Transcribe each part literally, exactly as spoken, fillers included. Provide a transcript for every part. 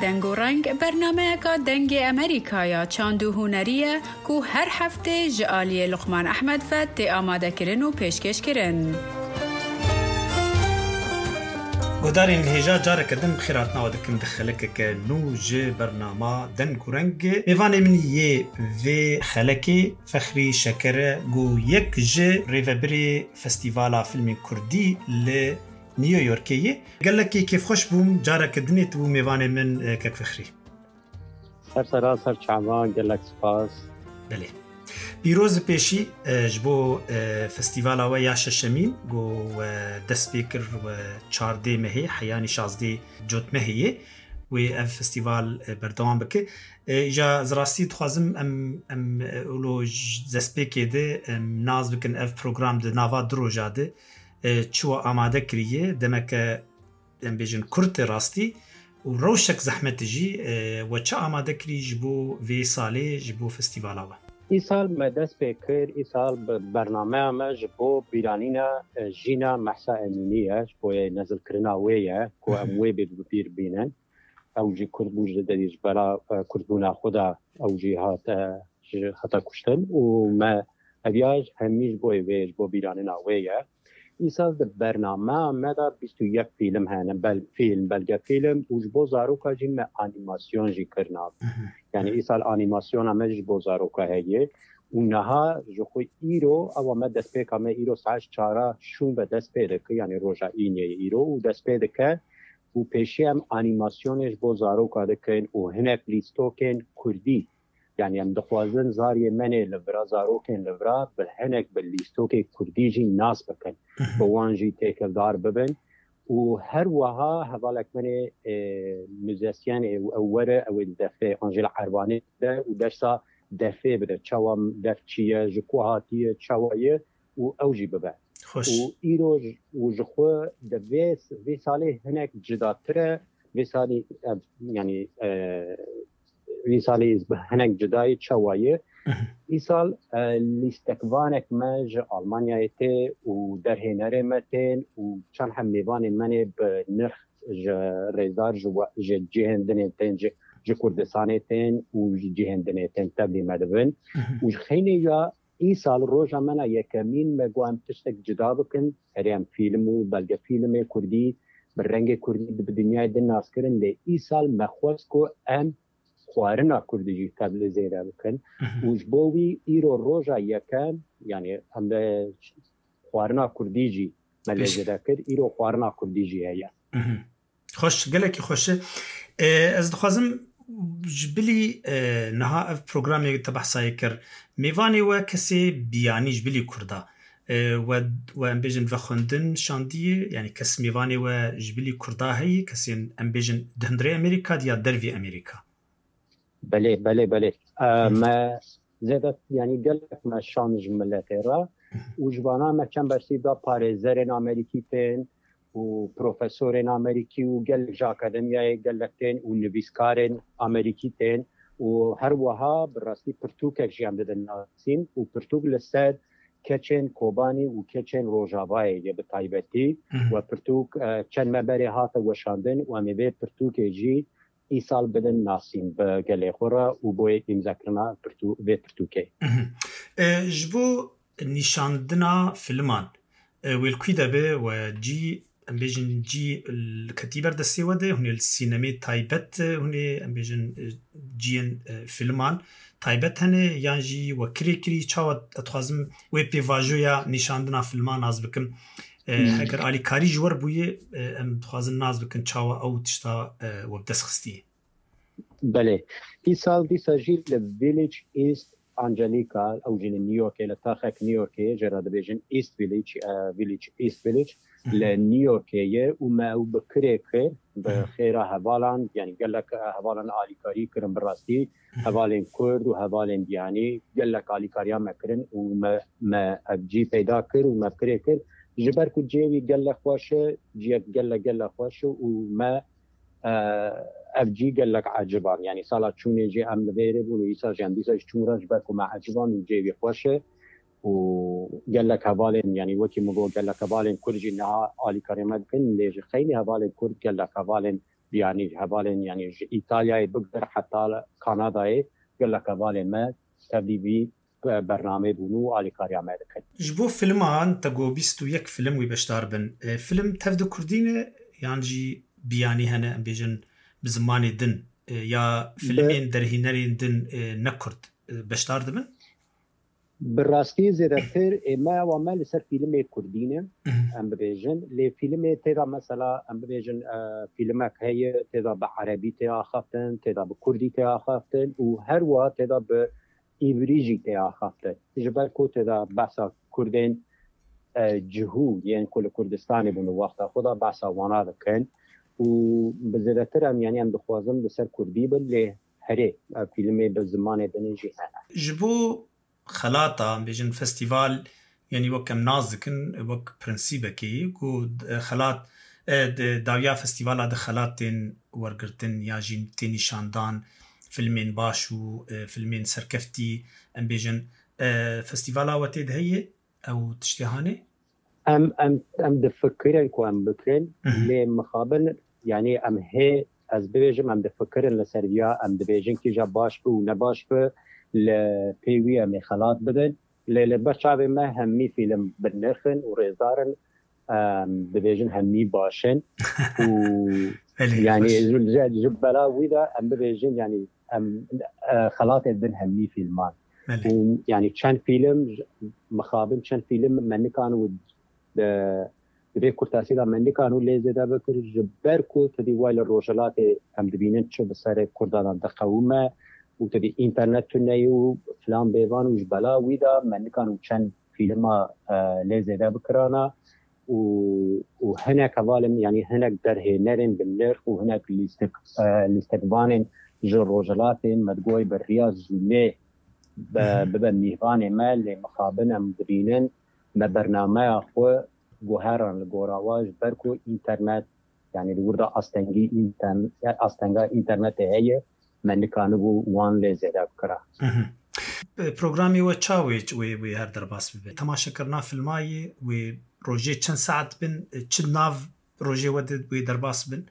Deng û Reng bernameyeka Dengê Amerîka ya çand û hunerî ye ku her heftê ji aliyê Luqman Ehmed ve tê amadekirin û pêşkêşkirin. Guhdarên li hêja careke din bi xêr hatina we dikim di xelekeke nû ji bernama Deng û Reng. Mêvanê min yê vê xelekê Fexrî Şeker e, ku yek ji rêvebirê Festîvala Filmên Kurdî li New Yorkê ye. Gelekî kêfxweş bûm, careke dinê tu bû mêvanê min, e, kek Fexrî. Ser sera, ser çava, gelek spas. Belê. Pîroz bi pêşî, e, ji bo, e, festîvala we ya şeşemîn, ku we dest pê kir, we çardê mehê, heyanî şazdê cotmehê ye. Wê ev festîval, e, berdewam bike. E, îja ez rastî dixwazim em, em, e, ulo ji destpêkê de, em, nas bikin ev program di nava du roja de, e, çi we amade kiriye, demeke, em bêjin, kurt e rastî û rewşek zehmet e jî, e, we çi amade kirî ji bo vê salê, ji bo festîvala we? Îsal me dest pê kir, îsal bi bernameya me ji bo bîranîna, e, jîna Mehsa Emînî ye, ji bo yê nezilkirina wê ye, ku em wê bê bi bîr bînin. Ew jî kurd bû, ji derî ji bera, e, kurdbûna xwe de ew jî hate, ji, hate kuştin û me eviya hemî ji bo vê, ji bo bîranîna wê ye. Îsal di bernameya me de bîst û yek fîlm hene, bel-, fîlm, belgefîlm û ji bo zaroka jî me anîmasyon jî kirina. Mhm. Yani îsal anîmasyona me ji bo zaroka heye û niha ji xwe îro, ewa me destpêka me îro saet çara şûn ve dest pê dike, yani roja înê îro û dest pê dike û pêşî em anîmasyonê ji bo zaroka dikin û hinek lîstokên kurdî. Yani em dixwazin zariyê menê li vira, zarokên li vira bi hinek bi lîstokê kurdî jî nas bikin. Mhm. Bi wan jî têkildar bibin. Û her wiha hevalek menê, e, muzisyen ê û ew were, ew ê di defê Angela Erbanê de û dersa defê bide. Çawa def çi ye, ji ku hatiye, çawa ye û ew jî bibe. Xweş. Û îro j-, û ji xwe di vê, vê salê hinek cidatir e. Vê salî, ev, yani, e, vê salî bi hinek cida ye, çawa ye? Mhm. Îsal, e, lîstekvanek me ji Almanyayê tê û derhênerê me tên û çend heb mêvanên me nê bi nirx ji rêzdar ji we, ji cihên dinê tên, ji, ji Kurdistanê tên û ji cihên dinê tên tevlî me dibin. Mhm. Û ji xeynê ya îsal roja me na yekemîn me got em tiştek cida bikin, erê em fîlm û belgefîlmê kurdî bi rengê kurdî di, bi dinyayê din nas kirin, lê îsal me xwest ku em xwarina kurdî jî tevlî zêde bikin. Mhm. Û ji bo wî îro roja yekem, yani em de xwarina kurdî jî me lê Pêş- zêde kir, îro xwarina kurdî jî heye. Mhm. Xweş, gelekî xweş e. E, ez dixwazim ji bilî, e, niha ev programê te behsayê kir. Mêvanê we kesê biyanî ji bilî kurda. E, we, we em bêjin vexwendin şandiyê, yani kes mêvanê we ji bilî kurda heye, kesên em bêjin di hundirê Amerîka de ya dervî Amerîka? Belê, belê, belê. E, Hı. me zêde, yani gelek me şand ji miletê re Hı. û ji vana me çend bersîv da parêzerên Amerîkî tên û profesorên Amerîkî û gelek ji akademiyayê gelek tên û nivîskarên Amerîkî tên û her wiha bi rastî pirtûkek jî em didin nasîn û pirtûk li ser keçên Kobanî û keçên Rojavayê ye bi taybetî. Hı hı. We pirtûk, e, çend me berê hate weşandin û em ê vê pirtûkê jî îsal bidin nasîn bi gelê xwe re û boyê îmzekirina pirtû-, vê pirtûkê. Mhm. E, ji bo nîşandina filman, e, wê li kû de be we cî, em bêjin cî l-, ketî ber destê we de, hûn ê li sînemê taybet, e, hûn ê, em bêjin, e, ciyên, e, filman taybet hene, yan jî we kirê kirî, çawa ez dixwazim wê pêvajoya nîşandina filman nas bikim. E, Hmm. Heger alîkarî ji we re bûye, e, em dixwazin nas bikin çawa ew tişta, e, we bi dest xistiye. Belê. Îsal dîsa jî li Village East Angelica, ew jî li New Yorkê, li taxek New Yorkê, jê re dibêjin East Village, e, Village, East Village, Mhm. li New Yorkê ye û me ew bi kirê kir, bi Mhm. xêra hevalan, yani gelek, e, hevalan alîkarî kirin bi rastî, Mhm. hevalên Kurd û hevalên biyanî gelek alîkariya me kirin û me, me ev cî peyda kir û me bi kirê kir. Ji ber ku cihê wî gelek xweş e, cihek gelek, gelek xweş e û me e, ev cî gelek eciban. Yani sala çûnê jî em li vêrê bûn û îsal jî em dîsa jî çûn re ji ber ku me eciban û cihê wî xweş e û gelek hevalên, yani wekî min got, gelek hevalên Kurd jî niha alîkarê me dikin, lê ji xeynî hevalên Kurd gelek hevalên biyanî ji hevalên, yanî ji Îtalyayê bigir heta Kanadayê gelek hevalên me tevlî vî bernameyê bûn û alîkariya me dikin. Ji bo filman te got bîst û yek film wî beşdar bin. E, film tev di kurdî ne yan jî biyanî hene, em bêjin bi zimanê din, e, ya filmên derhênerên din, e, ne kurd, e, beşdar dibin? Bi rastî zêdetir ê me ewa me li ser fîlmê kurdî ne, em bibêjin. Lê fîlmê tê de mesela em bibêjin, e, fîlmek heye tê de bi erebî tê axaftin, tê de bi kurdî tê axaftin û her wiha tê de bi îbrî jî tê axaftin. Ji ber ku tê de behsa kurdên, e, cihû yên ku li Kurdistanê bûn û wexta xwe de behsa wana dikin û bi zêdetir em, yanî em dixwazin li ser kurdî bin, lê herê, e, fîlmê bi zimanê din jî hene. Ji bo xelata, em bêjin festîval, yanî wek em nas dikin, wek prensîbekê ku, e, xelat, e, di dawiya festîvala de xelat tên wergirtin ya jî tên nîşandan, filmên baş û, e, filmên serkeftî, em bêjin, e, festîvala we tê de heye ew tiştê hanê? Em, em, em difikirin ku em bikin, lê mixabin, yanî em hê, ez bibêjim, em difikirin li ser viya, em dibêjin kîja baş bi û ne baş bi, li pê wî em ê xelat bidin. Lê li ber çavê me hemî fîlm bi nirx in û rêzdar in, em dibêjin hemî baş in û yanî ji, ji, ji bela wî de em bibêjin, yanî em, e, xelatê din hemî fîlman. Û yanî çend fîlm, mixabin çend fîlm me nikan û di, di vê kurtasî de me nikan û lê zêde bikir, ji ber ku tu dî way li rojhilatê em dibînin çi bi serê kurdan de diqewime û tu dî înternet tune ye û filan bêvan û ji bela wî de me nikan û çend fîlma, e, lê zêde bikirana û, û hinek hevalên, yanî hinek derhênerên bi nirx û hinek lîstik, e, lîstikvanên ji rojhilatê me digoy bi riya zûnê be, bibe mîvanê me, lê mixabin em dibînin me bernameya xwe guheran li gora wa, ji ber ku înternet, yanî li wir de astengî înternet, astenga înternetê heye, me nikanibû wan lê zêde bikira. Programê we çawa wê, wê, wê her derbas bibe? Temaşekirina filmayê wê rojê çend saet bin, çi nav rojê we de wê derbas bin?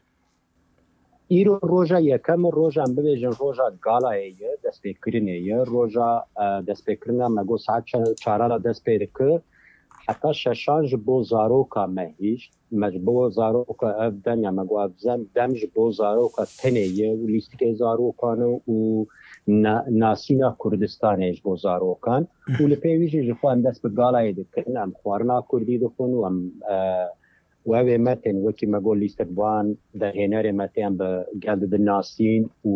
Îro roja yekem e, roja em bibêjin roja galayê ye, destpêkirinê ye. Roja, e, destpêkirina me got saet çe-, çaran re dest pê dike. Heta şeşan ji bo zaroka me hîşt. Me ji bo zaroka ev dem, ya me got ev zem-, dem ji bo zaroka tenê ye û lîstikê zarokan e û na-, nasîna Kurdistanê ji bo zarokan. Û li pê wî jî ji xwe em dest bi galayê dikin, em xwarina kurdî dixwin û em, e, û ew ê me tên, wekî me got lîstikvan, derhênerê me tên bi gel didin nasîn û,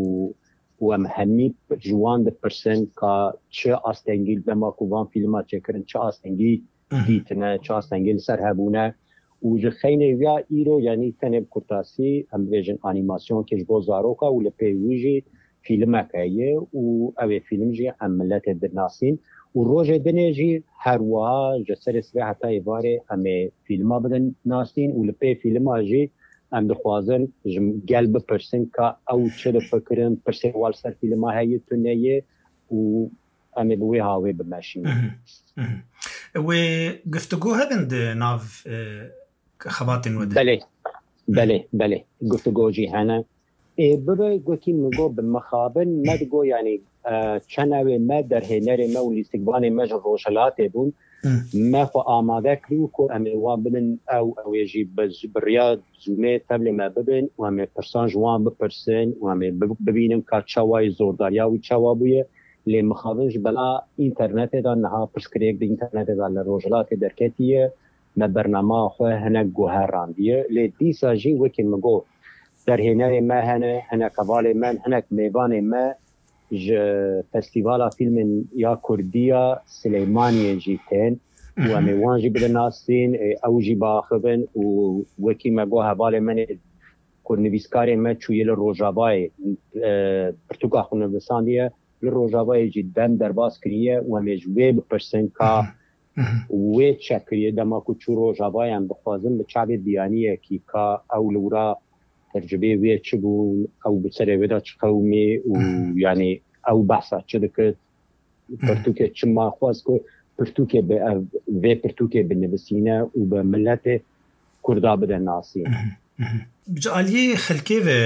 û em hemî ji wan dipirsin ka çi astengî dema ku van fîlma çêkirin, çi astengî dîtine, çi astengî li ser hebûne. Û ji xeynê viya îro, yanî tenê bi kurtasî, em bibêjin anîmasyonkê ji bo zaroka û li pê wî jî fîlmek heye û ew ê fîlm jî em miletê dinasîn. Û rojê dinê jî her wiha ji serê sibê heta êvarê em ê fîlma bidin nasîn û li pê fîlma jî em dixwazin ji gel bipirsin ka ew çi difikirin, pirsê wan li ser fîlma heye tune ye û em ê bi wê hawê bimeşînin. Wê guftûgo hebin di nav, e, xebatên we de? Belê, belê, belê. Guftûgo jî hene. Ê, bibe, wekî min got, bi mixabin me digot, yanî, e, çend ew ê me, derhênerê me û lîstikvanê me ji rojhilatê bûn. Me xwe amade kirî ku em ê wan bidin ew, ew ê jî bi, bi riya Zoomê tevlê me bibin û em ê pirsan ji wan bipirsin û em ê bi-, bibînin ka çawa yê zordariya wî çawa bûye. Lê mixabin ji bela înternetê de niha pirsgirêk di înternetê de li rojhilatê derketiye. Me bernama xwe hinek guherandiye. Lê dîsa jî wekî min got, derhênerê me hene, hinek hevalê me, hinek mêvanê me ji Festîvala Fîlmên ya Kurdî ya Silêmaniyê jî tên û em ê wan jî bidin nasîn, ê, ew jî biaxivin û wekî me got hevalê me nê ku nivîskarê me çûye li Rojavayê, e, pirtûka xwe nivîsandiye, li Rojavayê jî dem derbas kiriye û em ê ji wê bipirsin ka wê çi kiriye dema ku çû Rojavayê, em dixwazin bi çavê biyaniyekî ka ew li wira tercibê wê çi bû, ew bi serê wê de çi qewimî û yanî ew behsa çi dikir, pirtûkê çima xwest ku pirtûkê bi ev, vê pirtûkê binivîsîne û bi miletê Kurda bide nasîn. Ji aliyê xelkê ve,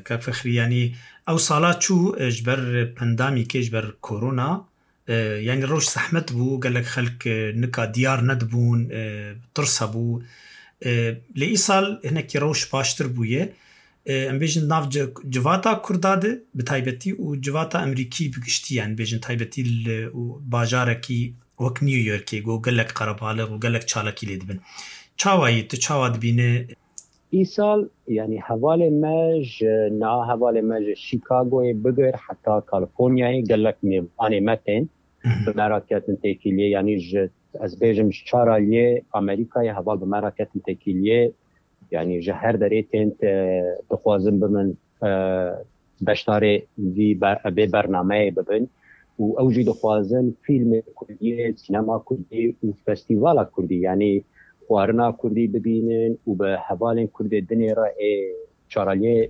kak Fexrî, yanî ew sala çû, e, ji ber pandemîkê, ji ber korona, e, yanî rewş zehmet bû, gelek xelk, e, nika diyar nedibûn, e, tirs hebû. E, lê îsal hinekî rewş baştir bûye. E, em bêjin nav ci-, civata Kurda de bi taybetî û civata Emerîkî bi giştî, yanî bêjin taybetî li û bajarekî wek New Yorkê, ku gelek qerebalix û gelek çalakî lê dibin. Çawa yî, tu çawa dibîne? Îsal, yanî hevalê me ji, niha hevalê me ji Chicagoyê bigir heta Californiayê gelek mêvanê me tên. Bi me re ketin têkiliyê, yanî ji, ez bêjim, ji çar aliyê Amerîkayê heval bi me re ketin têkiliyê. Yanî ji her derê tên te dixwazin bibin, e, beşdarê vî ber-, vê bernameyê bibin û ew jî dixwazin fîlmê kurdî, sînema kurdî û festîvala kurdî, yanî xwarina kurdî bibînin û bi hevalên kurdê dinê re ê çaraliyê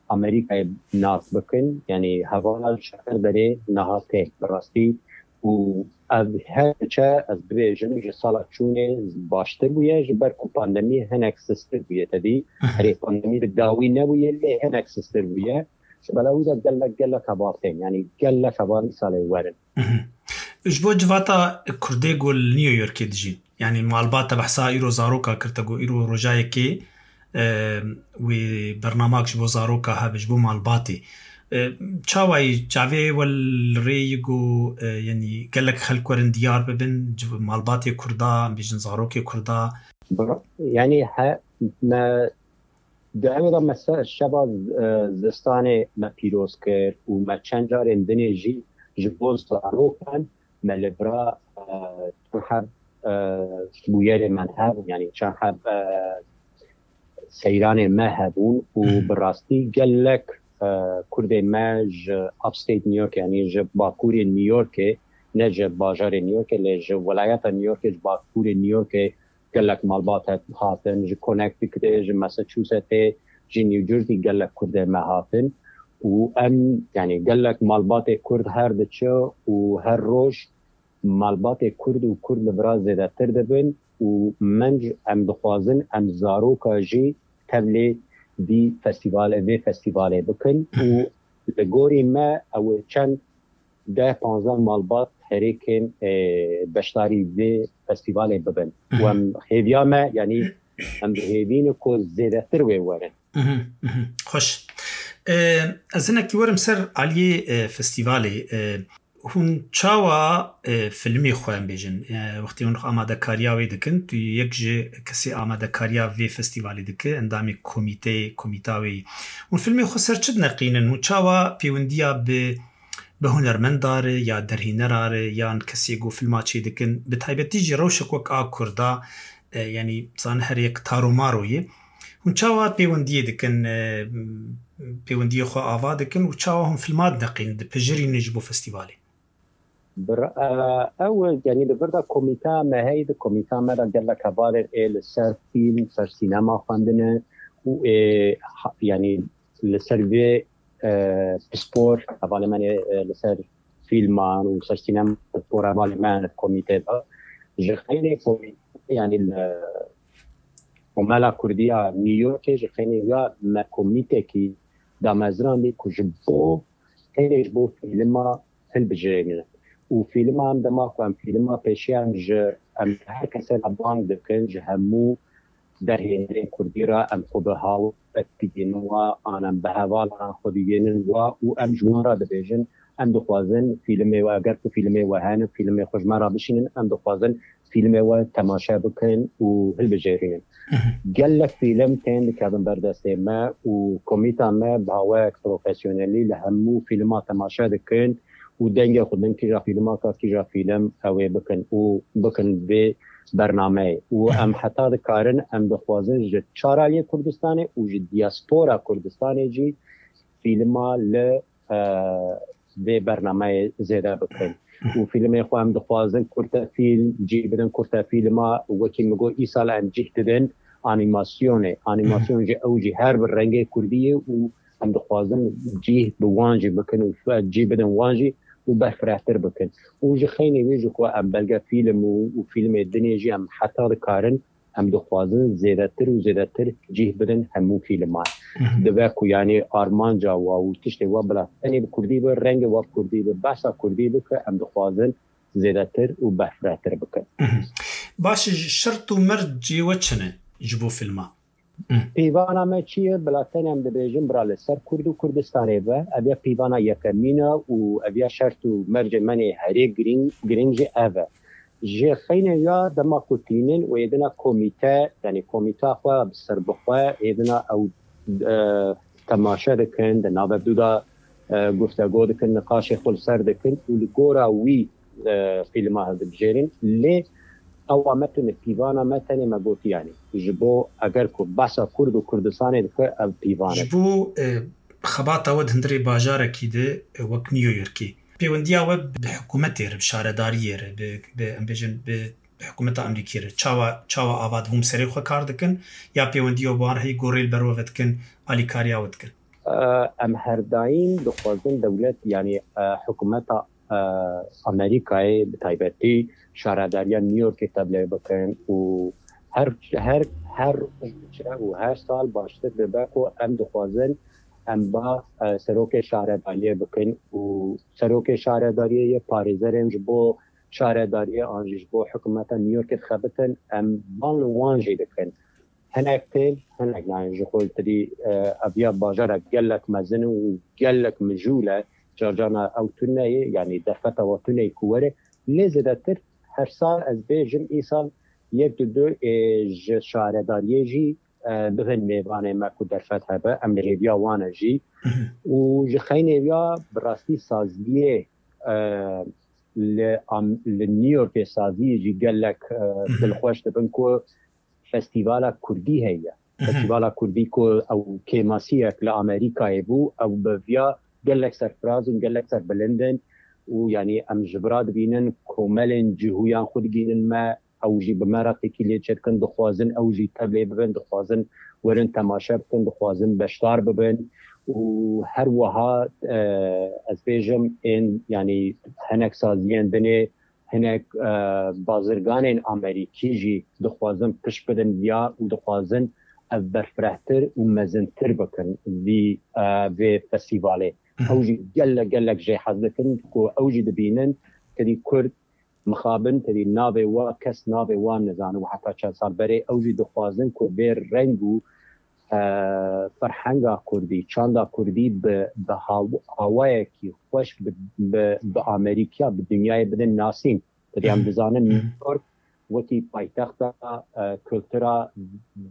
Amerîkayê nas bikin. Yanî hevala ji her derê niha tê bi rastî û ev her diçe, ez bibêjim, ji sala çûnê baştir bûye, ji ber ku pandemî hinek sistir bûye. Te dî, herê pandemî bi dawî nebûye, lê hinek sistir bûye. Ji bela wî de gelek, gelek heval tên, yanî gelek heval îsalê werin. Ji bo civata Kurdê ku li New Yorkê dijîn, yanî malbata behsa îro zaroka kir, te got îro roja yekê, e, wê bernamak ji bo zaroka hebe, ji bo malbatê. E, çawa yî, çavê we li rê yî ku, e, yanî gelek xelk werin diyar bibin, civ-, malbatê Kurda, em bêjin zarokê Kurda? Bira-, yanî he, me di ew re me se-, şeva z-, e, zistanê me pîroz kir û me çend carên dinê jî ji bo zarokan me li vira, e, çend heb, e, bûyerê me hebûn, yanî çend heb, e, seyranê me hebûn û bi rastî gelek, e, Kurdê me ji upstate New York, yanî ji bakurê New Yorkê, ne ji bajarê New Yorkê, lê ji welayeta New Yorkê, ji bakurê New Yorkê gelek malbat hat-, hatin, ji Connecticutê, ji Massachusettsê, ji New Jersey gelek Kurdê me hatin û em, yanî gelek malbatê Kurd her diçe û her roj malbatê Kurd û Kurd li vira zêdetir dibin û menc em dixwazin em zaroka jî tevlê vî festîvalê, vê festîvalê bikin û li gorî me ew çend deh panzdeh malbat herêkên, e, beşdarî vê festîvalê bibin. Û em hêviya me, yanî em bi hêvî ne ku zêdetir wê werin. Mhm, mhm. Xweş. E, ez hinekî werim ser aliyê, e, festîvalê. E, hûn çawa, e, filmê xwe, em bêjin, e, wextê hûn amadekariya wê dikin, tu yek ji kesê amadekariya vê festîvalê dike, endamê komîteyê, komîta wê yî. Hûn filmê xwe ser çi dineqînin? Hûn çawa pêwendiya bi, bi hunermenda re ya derhênera re yan kesê ku filma çê dikin, bi taybetî jî rewşek wek a Kurda, e, yanî, zane her yek taromaro ye. Hûn çawa pêwendiyê dikin, e, pêwendiyê xwe ava dikin û çawa hûn filma dineqînin, dipijirînin ji bo festîvalê? Bir, e, ew, yanî li vir de komîta me heye, di komîta me de gelek hevalên ê li ser fîlm, ser sînema xwendine û ê, ha-, yanî li ser vê, e, pispor hevalê me ê, e, li ser fîlman û ser sînema pispor hevalê me ne komîtê de. Ji xeynê komîte, yanî li Komela Kurdiya New Yorkê ji xeynê ya me komîtekî damezrandî ku ji bo tenê ji bo fîlma hilbijêrîne. Û fîlma em dema ku em fîlma pêşiyan ji em her kesê re bang dikin, ji hemû derhênerên Kurdî re em xwe bi hawet digihînin wa, an em bi hevalan xwe digihînin wa û em ji wan re dibêjin, em dixwazin fîlimê we, eger ku fîlimê we hene, fîlimê xwe ji me re bişînin, em dixwazin fîlimê we temaşe bikin û hilbijêrînin. Gelek fîlim tên dikevin ber destê me û komîta me bi awayek profesyonelî li hemû fîlima temaşe dikin û dengê xwe din kîja fîlima ka kîja fîlim ew ê bikin û bikin vê bernameyê. Û em heta dikarin, em dixwazin ji çar aliyê Kurdistanê û ji diaspora Kurdistanê jî fîlima li, e, vê bernameyê zêde bikin. Û fîlmê xwe em dixwazin kurte fîlm cî bidin, kurte fîlma wekî min got îsal em cih didin anîmasyonê. Anîmasyon jî ew jî her bi rengê Kurdî ye û em dixwazin cih bi wan jî bikin û fe-, cih bidin wan jî û berfirehtir bikin. Û ji xeynê wê jî xwe em belge fîlm û, û fîlmê dinê jî em heta dikarin Em dixwazin zêdetir û zêdetir cih bidin hemû fîlman. Dibe ku, yanî, armanca wa û tiştê wa bila tenê bi kurdî be, rengê wa bi kurdî be, behsa kurdî be, ke em dixwazin zêdetir û berfirehtir bikin. Baş e, şert û mercê we çi ne ji bo fîlma? Pîvana me çi ye? Bila tenê em dibêjin, bila li ser Kurd û Kurdistanê be. Ev ya pîvana yekemîn e û ev ya şert û mercê me nê herê girîng, girîng jî ev e. Ji xeynê ya dema ku tînin û êdina komîte, yanî komîta xwe bi ser bixwe, êdina ew, e, temaşe dikin, di navberdû de, e, guftego dikin, niqaşê xwe li ser dikin û li gora wî, e, fîlma hildibijêrin. Lê ewa me tune pîvana me tenê me gotiyanî. Ji bo eger ku behsa Kurd û Kurdistanê dike, ev pîvan e. Ji bo, e, xebata we di hundirê bajarekî de, e, wek New Yorkê. Pêwendiya we bi hikûmetê re, bi şaredariyê re, bi, bi, em bêjin, bi, bi hikûmeta Amerîkî re çawa, çawa ava dibûn, bi serê xwe kar dikin ya pêwendiya we bi wan re heyî gorê li ber we vedikin, alîkariya we dikin? E, em her daîm dixwazin dewlet, yanî, e, hikûmeta, e, Amerîkayê bi taybetî şaredariya New Yorkê tevlê bikin û her, her, her roj û her sal baştir dibe ku em dixwazin em ba, e, serokê şaredariyê bikin û serokê şaredariyê yê parêzerên ji bo şaredariyê an jî ji bo hikûmeta New Yorkê dixebitin, em van li wan jî dikin. Hinek tên, hinek nayên. Ji xwe tedî, e, ev ya bajarek gelek mezin û gelek mijûl e. Carcana ew tune ye, yanî derfeta we tune ye ku were. Lê zêdetir her sal ez bêjim îsal yek du du, e, ji şaredariyê jî, e, bibin mêvanê me ku derfet hebe. Em li hêviya wan e jî. Û ji xeynê ya bi rastî saziyê, e, li Am-, li New Yorkê saziyê jî gelek, e, dilxweş dibin ku festîvala kurdî heye. Festîvala kurdî ku ew kêmasiyek li Amerîkayê bû, ew bi viya gelek serfiraz in, gelek serbilind in û, yanî, em ji vira dibînin komelên cihûyan xwe digihînin me, ew jî bi me re têkiliyê çêdikin, dixwazin ew jî tevlê bibin, dixwazin werin temaşe bikin, dixwazin beşdar bibin û her wiha, e, ez bêjim ên, yanî, hinek saziyên dinê, hinek, e, bazirganên Amerîkî jî dixwazin pişt bidin viya û dixwazin ev berfirehtir û mezintir bikin vî, e, vê festîvalê. Ew jî gelek, gelek jê hez dikin ku ew jî dibînin, tedî Kurd mixabin, tedî navê wa kes navê wan nizane û heta çend sal berê ew jî dixwazin ku vê reng û, e, ferhenga kurdî, çanda kurdî bi, bi haw-, awayekî xweş bi, bi, bi Amerîkiya, bi dinyayê bidin nasîn. Tedî em dizanin New York wekî paytexta, e, kultura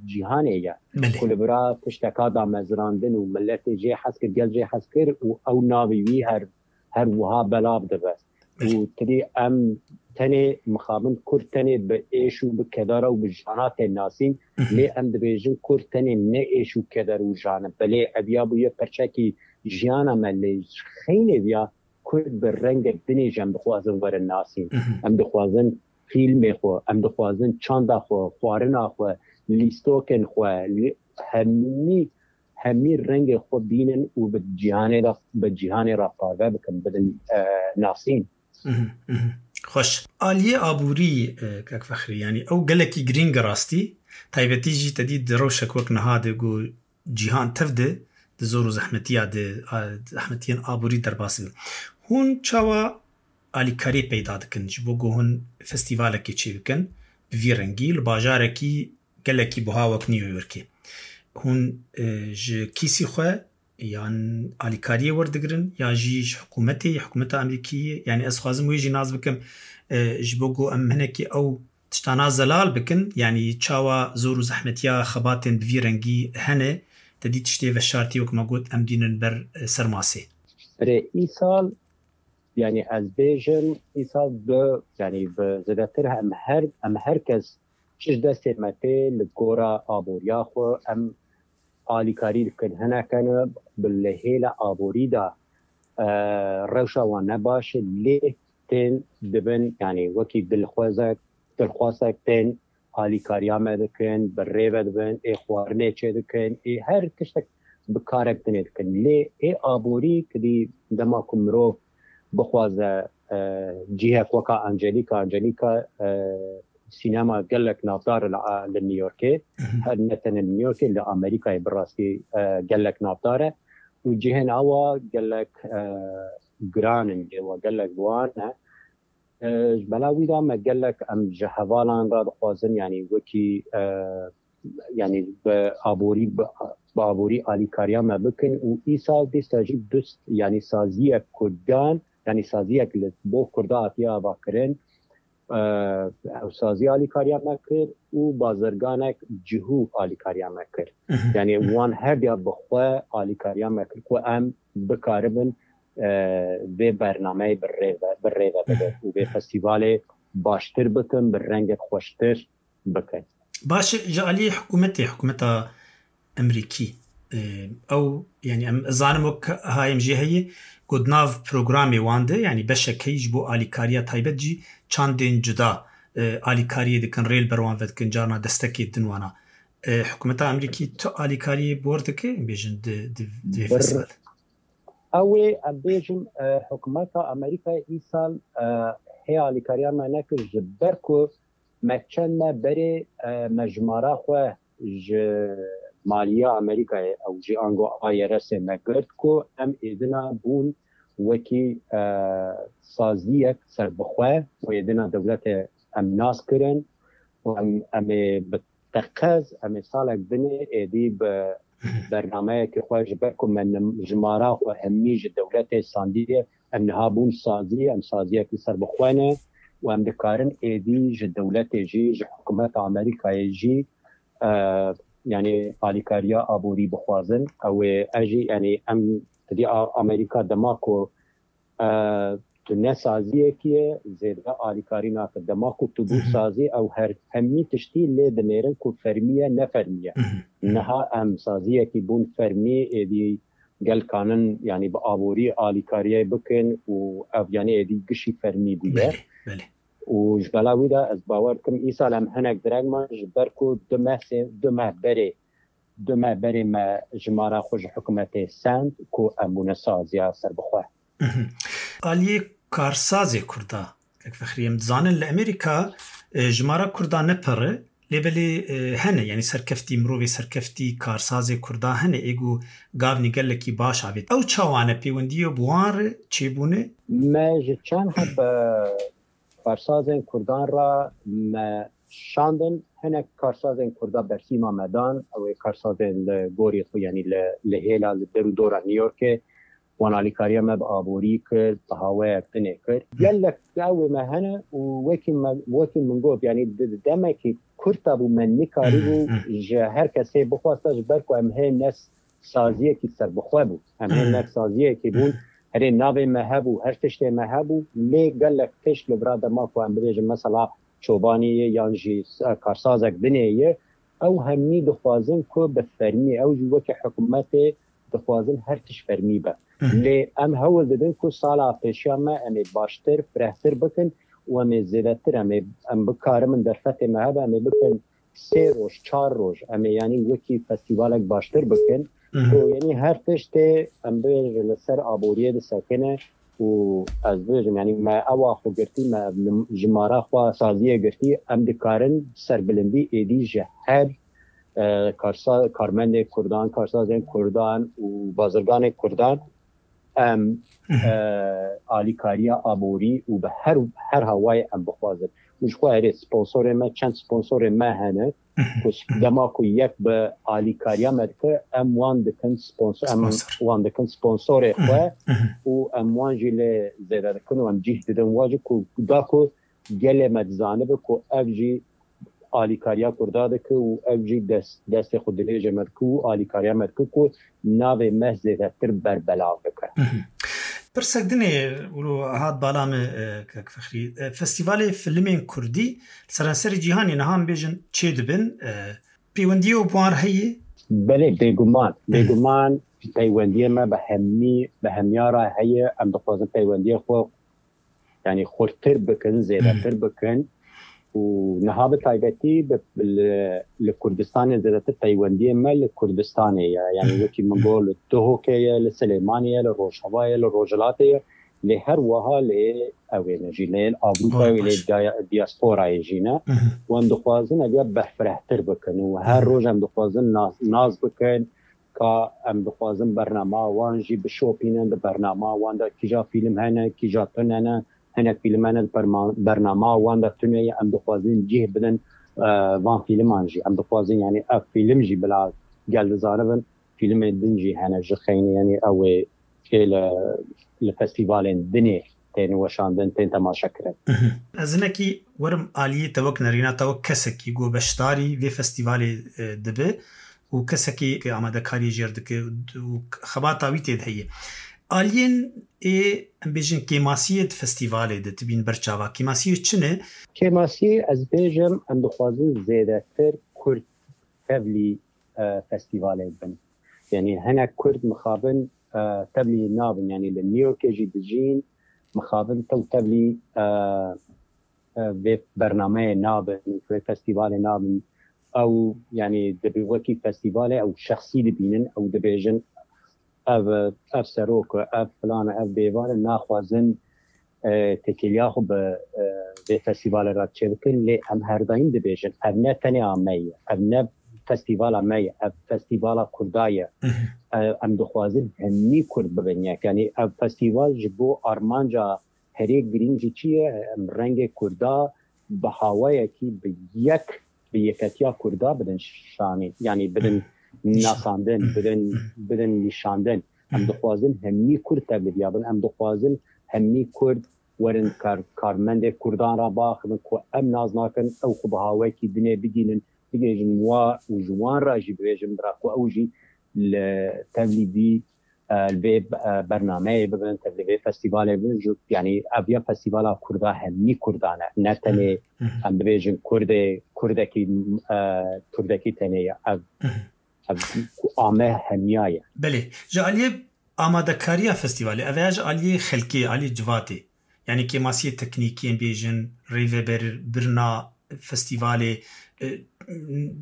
cîhanê ye. Belê. Ku li vira tişteka damezrandin û miletê jê hez kir, gel jê hez kir û ew navê wî her, her wiha belav dibe. Belê. Û tedî em tenê mixabin Kurd tenê bi êş û bi kedara û bi jana tên nasîn, lê em dibêjin Kurd tenê ne êş û keder û jan in. Belê ev ya bûye perçekî jiyana me, lê ji xeynê viya Kurd bi rengek dinê jî em dixwazin werin nasîn. Em dixwazin fîlmê xwe, em dixwazin çanda xwe, xwarina xwe, lîstokên xwe, lî-, hemî, hemî rengê xwe bînin û bi cîhanê de, bi cîhanê re parve bikin, bidin, e, nasîn. Mhm, mhm. Xweş. Aliyê aborî, e, kek Fexrî, yanî ew gelekî girîng e rastî. Taybetî jî te dî di rewşek wek niha de ku cîhan tev de di zor û zehmetiya de, a, zehmetiyên aborî derbas dibe. Hûn çawa alîkariyê peyda dikin ji bo ku hûn festîvalekê çêbikin bi vî rengî li bajarekî gelekî buha wek New Yorkê? Hûn, e, ji kîsî xwe yan alîkariyê werdigirin ya jî ji hikûmetê, hikûmeta Amerîkî? Yanî ez dixwazim wê jî nas bikim, e, ji bo ku em hinekî ew tiştana zelal bikin, yanî çawa zor û zehmetiya xebatên bi vî rengî hene, te dî tiştê veşartî wek me got em dînin ber, e, ser masê. Erê, îsal, yanî ez bêjim, îsal bi, yanî bi zêdetir em her, em her kes çi ji destê me tê li gora aboriya xwe em alîkarî dikin. Hinekene bi li hêla aborî de, e, rewşa wan ne baş e, lê tên dibin, yanî wekî dilxwezek, dilxwazek tên alîkariya me dikin, bi rê ve dibin, ê xwarinê çê dikin, ê her tiştek bi karek dinê dikin. Lê ê aborî kidî dema ku mirov bixwaze, e, cihek weka Angelîka, Angelîka, e, sînema gelek navdar e li, li New Yorkê. Her ne tenê li New Yorkê, li Amerîkayê bi rastî, e, gelek navdar e. Û cihên awa gelek, e, giran in, cihê wa gelek bi wan e. E, ji bela wî de me gelek em ji hevalan re dixwazin, yanî wekî, e, yanî bi aborî, bi, bi aborî alîkariya me bikin û îsal dîsa jî dust, yanî saziyek Kurdan, yanî saziyek li bo Kurda hatiye avakirin, e, ew sazî alîkariya me kir û bazirganek cihû alîkariya me kir. Yanî wan her diya bi xwe alîkariya me kir ku em bikaribin, e, vê bernameyê bi rê ve, bi rê ve bibin û vê festîvalê baştir bikin, bi rengek xweştir bikin. Baş e, ji alî hikûmetê, hikûmeta Emerîkî, e, ew, yanî em zanim wek hayêm jê heye, ku di nav programê wan de, yanî beşek heye ji bo alîkariya taybet jî çandên cuda, e, alîkariyê dikin, rê li ber wan vedikin, carna destekê din wana. E, hikûmeta Emerîkî tu alîkariyê bor dike, em bêjin di, di, di vê Bir- festîval? Ew ê em bêjim, e, hikûmeta Amerîkayê îsal, e, hê alîkariya me nekir ji ber ku me çend me berê, e, me jimara xwe ji maliya Amerîkayê ew jî ango I R S'ê me girt ku em êdina bûn wekî, e, saziyek serbixwe û êdina dewletê em nas kirin û em, em ê bi teqez, em ê salek dinê êdî bi bernameyekê xwe ji ber ku me nim-, jimara xwe hemî ji dewletê sandiye, em niha bûn sazî, em saziyek li ser bixwe ne û em dikarin êdî ji dewletê jî, ji hikûmeta Amerîkayê jî, e, yanî alîkariya aborî bixwazin. Ew ê, ez jî, yanî em, tedî A-, Amerîka dema ku, e, tu ne saziyekî ye, zêde alîkarî nake. Dema ku tu bû sazî, ew her hemî tiştî lê dinêrin ku fermî ye, ne fermî ye. Niha em saziyekî bûn fermî, êdî gel kanin, yanî bi aborî alîkariyê bikin û ev, yanî êdî gişî fermî bûye. Belê, belê. Û ji bela wî de ez bawer dikim, îsal em hinek direng man ji ber ku du meh, sê, du meh berê, du meh berê me jimara xwe ji hikûmetê send ku em bûne saziya serbixwe. Aliyê karsazê Kurda, kek Fexrî, em dizanin li Amerîka, e, jimara Kurda ne pir e, lê belê, e, hene, yanî serkeftî, mirovê serkeftî, karsazê Kurda hene, ê ku gavnî gelekî baş avêt. Ew çawa ne pêwendiyê bi wan re çêbûne? Me ji çend heb, e, karsazên Kurdan re me şandin, hinek karsazên Kurda berhîma me dan, ew ê karsazên li gorî xwe, yanî li, li hêla, li der û dora New Yorkê, wan alîkariya me bi aborî kir, bi hawayek dinê kir. Gelek ew ê me hene û wekî me, wekî min got, yanî di, di demekî kurt de bû, me nikarîbû ji her kesê bixwasta, ji ber ku em hê ne saziyekî serbixwe bû. Em hê ne saziyekî bûn, herê navê me hebû, her tiştê me hebû, lê gelek tişt li vira dema ku em bibêjin mesela çobanî ye yan jî, e, karsazek dinê ye, ew hemî dixwazin ku bi fermî, ew jî wekî hikûmetê dixwazin her tişt fermî be. Lê em hewl didin ku sala pêşiya me em ê baştir, firehtir bikin û em ê zêdetir, em ê, em bikarimin derfetê me hebe, em ê bikin sê roj, çar roj, em ê yanî wekî festîvalek baştir bikin. Ku yanî her tiştê em bêjin li ser aboriyê disekine û ez bêjim, yanî me ewa xwe girtî, me ev lim-, jimara xwe saziyê girtî, em dikarin serbilindî êdî ji her, e, karsa-, karmendê Kurdan, karsazên Kurdan û bazirganê Kurdan em, e, alîkariya aborî û bi her, her hawayê em bixwazin. Û ji xwe erê sponsorê me, çend sponsorê me hene, ku dema ku yek bi alîkariya me dike, em wan dikin sponsor, em wan dikin sponsorê xwe û em wan jî lê zêde dikin û em cîh didin wa jî ku da ku gelê me dizanibe ku ev jî alîkariya Kurda dike û ev jî dest, destê xwe dirêjê me dike û alîkariya me dike ku navê me zêdetir berbelav bike. Pirsek dinê wilo hat bala me, e, kek Fexrî. E, Festîvalê Filmên Kurdî li seranserê cîhanê niha em bêjin çêdibin. E, peywendiyê û bi wan re heye? Belê, bêguman. Bêguman peywendiyê me bi hemî, bi hemiya re heye. Em dixwazin peywendiyê xwe, yanî xurtir bikin, zêdetir bikin. Û niha bi taybetî bi, li, li Kurdistanê zêdetir peywendiyê me li Kurdistanê ye. Yanî wekî min got, li Duhokê ye, li Silêmaniyê ye, li Rojava ye, li Rojhilatê ye. Lê her wiha lê ew ê ne jî, lê Ewropa Ewê wê lê baş. dia-, diasporayê jî ne. Mhm. Wan dixwazin ev ya berfirehtir bikin û her Mhm. roj em dixwazin nas, nas bikin ka em dixwazin bernama wan jî bişopînin, di bernama wan de kîja fîlm hene, kîja tune ne, hinek fîlm hene di perma-, bernama wan de tune ye, em dixwazin cih bidin, e, van fîlman jî. Em dixwazin, yanî ev fîlm jî bila gel dizanibin, fîlmên din jî hene ji xeynî, yanî ew ê tê li, li festîvalên dinê tên weşandin, tên temaşekirin. Mhm. Ez hinekî werim aliyê te wek nerîna te wek kesekî ku beşdarî vê festîvalê, e, dibe û kesekî ku amadekariyê jêr dike û xebata wî tê de heye. Aliyên ê, em bêjin, kêmasiyê di festîvalê de tibîn ber çava. Kêmasiyê çi ne? Kêmasiyê ez bêjim, em dixwazin zêdetir Kurd tevlî, e, festîvalê bin. Yanî hinek Kurd mixabin, e, tevlî nabin. Yanî li New Yorkê jî dijîn, mixabin tew tevlî, e, e, vê bernameyê nabin, vê festîvalê nabin. Ew, yanî dibî wekî festîvalê, ew şexsî dibînin, ew dibêjin, ev, ev serok e, ev filan e, ev bêvan e, naxwazin, e, têkiliya xwe bi, e, vê festîvalê re çêbikin, lê em her daîm dibêjin, ev ne tenê a me ye, ev ne festîvala me ye, ev festîvala Kurda ye. Mhm. E, em dixwazin hemî Kurd bibin yek. Yanî ev festîval ji bo armanca herê girîng jî çi ye? Em rengê Kurda bi hawayekî bi yek, bi yeketiya Kurda bidin şanî. Yanî bidin Mhm. nasandin, Mhm. bidin, Mhm. bidin nîşandin. Em Mhm. dixwazin hemî Kurd tevliviya bin. Em dixwazin hemî Kurd werin kar-, karmendê Kurdan re biaxivin ku em nas nakin, ew xwe bi hawayekî dinê bigînin, bigihêjin wa û ji wan re jî bibêjin bira ku ew jî li tevlî vî, e, li vê, e, bernameyê bibin, tevlî vê festîvalê bibin. Ji, yanî ev ya festîvala Kurda hemî Kurdan e. Ne tenê Mhm. em bibêjin Kurdê, Kurdekî, e, Kurdekî tenê ye. Ev, Mhm. ev ku a me hemiya ye. Belê. Ji aliyê amadekariya festîvalê, ev ya ji aliyê xelkê, aliyê civatê. Yanî kêmasiyê teknîkî, em bêjin, rêveber-, birina festîvalê, e,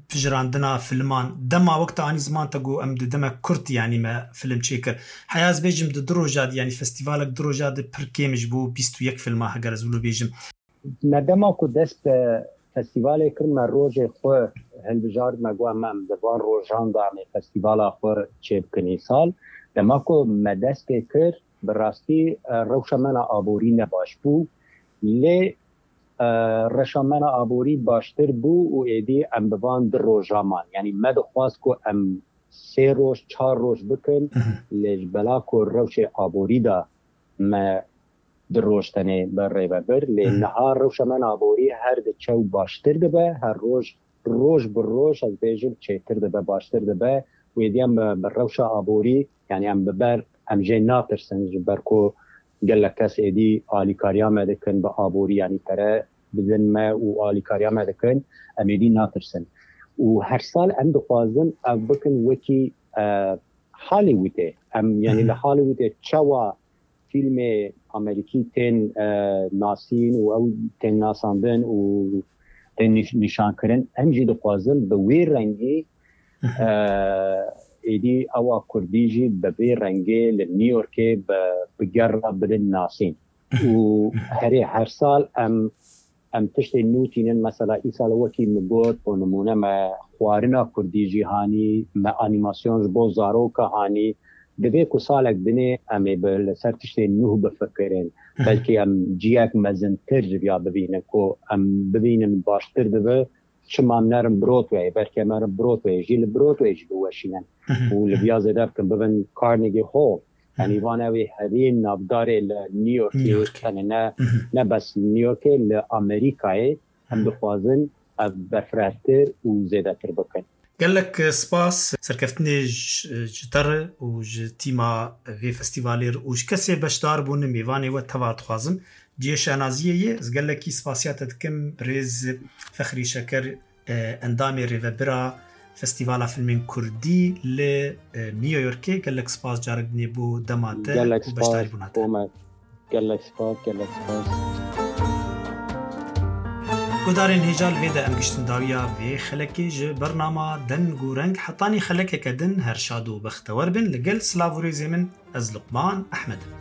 pijirandina filman. Dema wek te anî ziman te got, em di demek kurt, yanî me film çêkir. Heya ez bêjim di du roja de, yanî festîvalek du roja de pir kêm ji bo bîst û yek filma, heger ez wilo bêjim. Me dema ku dest bi festîvalê kir, me rojê xwe hilbijart, me got, em, em di van rojan de em ê festîvala xwe çêbikin îsal. Dema ku me dest pê kir, bi rastî, e, rewşa me na aborî ne baş bû. Lê, e, rewşa me na aborî baştir bû û êdî em bi van du roja man. Yanî me dixwast ku em sê roj, çar roj bikin, Mhm. lê ji bela ku rewşê aborî de me du roj tenê bi rê ve bir. Lê Mhm. niha rewşa me na aborî her diçe û baştir dibe, her roj, roj bi roj, ez bêjim, çêtir dibe, baştir dibe. Wê diyan bi, bi rewşa aborî, yanî em bi ber, em jê natirsin, ji ber ku gelek kes êdî alîkariya me dikin bi aborî, yanî pere bidin me û alîkariya me dikin, em êdî natirsin. Û her sal em dixwazin ev bikin wekî, e, Hollywoodê. Em, yanî li Mhm. Hollywoodê çawa fîlmê Amerîkî tên, e, nasîn û ew tên nasandin û tên nîş-, nîşankirin, em jî dixwazin bi wê rengî, Mhm. e, êdî ewa Kurdî jî bi vê rengê li New Yorkê bi, bi gerra bidin nasîn. Mhm. Û Mhm. herê her sal em, em tiştê nû tînin, mesela îsal wekî min got, bo nimûne me xwarina Kurdî jî hanî, me anîmasyon ji bo zaroka hanî, divê ku salek dinê em ê bi, li ser tiştê nû bifikirin. Mhm. Belkî em ciyek mezintir ji viya bibînin, ku em bibînin baştir dibe, çima em nerin Broadway, belkî em nerin Broadway, jî li Broadway jî biweşînin. Mhm. Û li viya zêde bikin, bibin Carnegie Hall. Yanî Mhm. van ew ê herî navdarê li New Yorkê, New Yorkê. Tenê ne, Mhm. ne bes New Yorkê, li Amerîkayê em Mhm. dixwazin ev berfirehtir û zêdetir bikin. Gelek spas, serkeftinê ji, ji te re û ji tîma vê festîvalê re û ji kesê beşdar bûne, mêvanê we teva dixwazim. Cihê şenaziyê ye, ez gelekî spasiya te dikim, birêz Fexrî Şeker, e, endamê rêvebira Festîvala Filmên Kurdî li, e, New Yorkê. Gelek spas carek dinê bo dema te Gelek û beşdarî spas, bûna te. Omer. Gelek spas, gelek spas. Guhdarên hêja, li vê de em giştin dawiya vê xelekê ji bernama Deng û Reng. Hetanî xelekeke din, her şad û bextewer bin. Li gel silav û rêzê min, ez Luqman Ehmed im.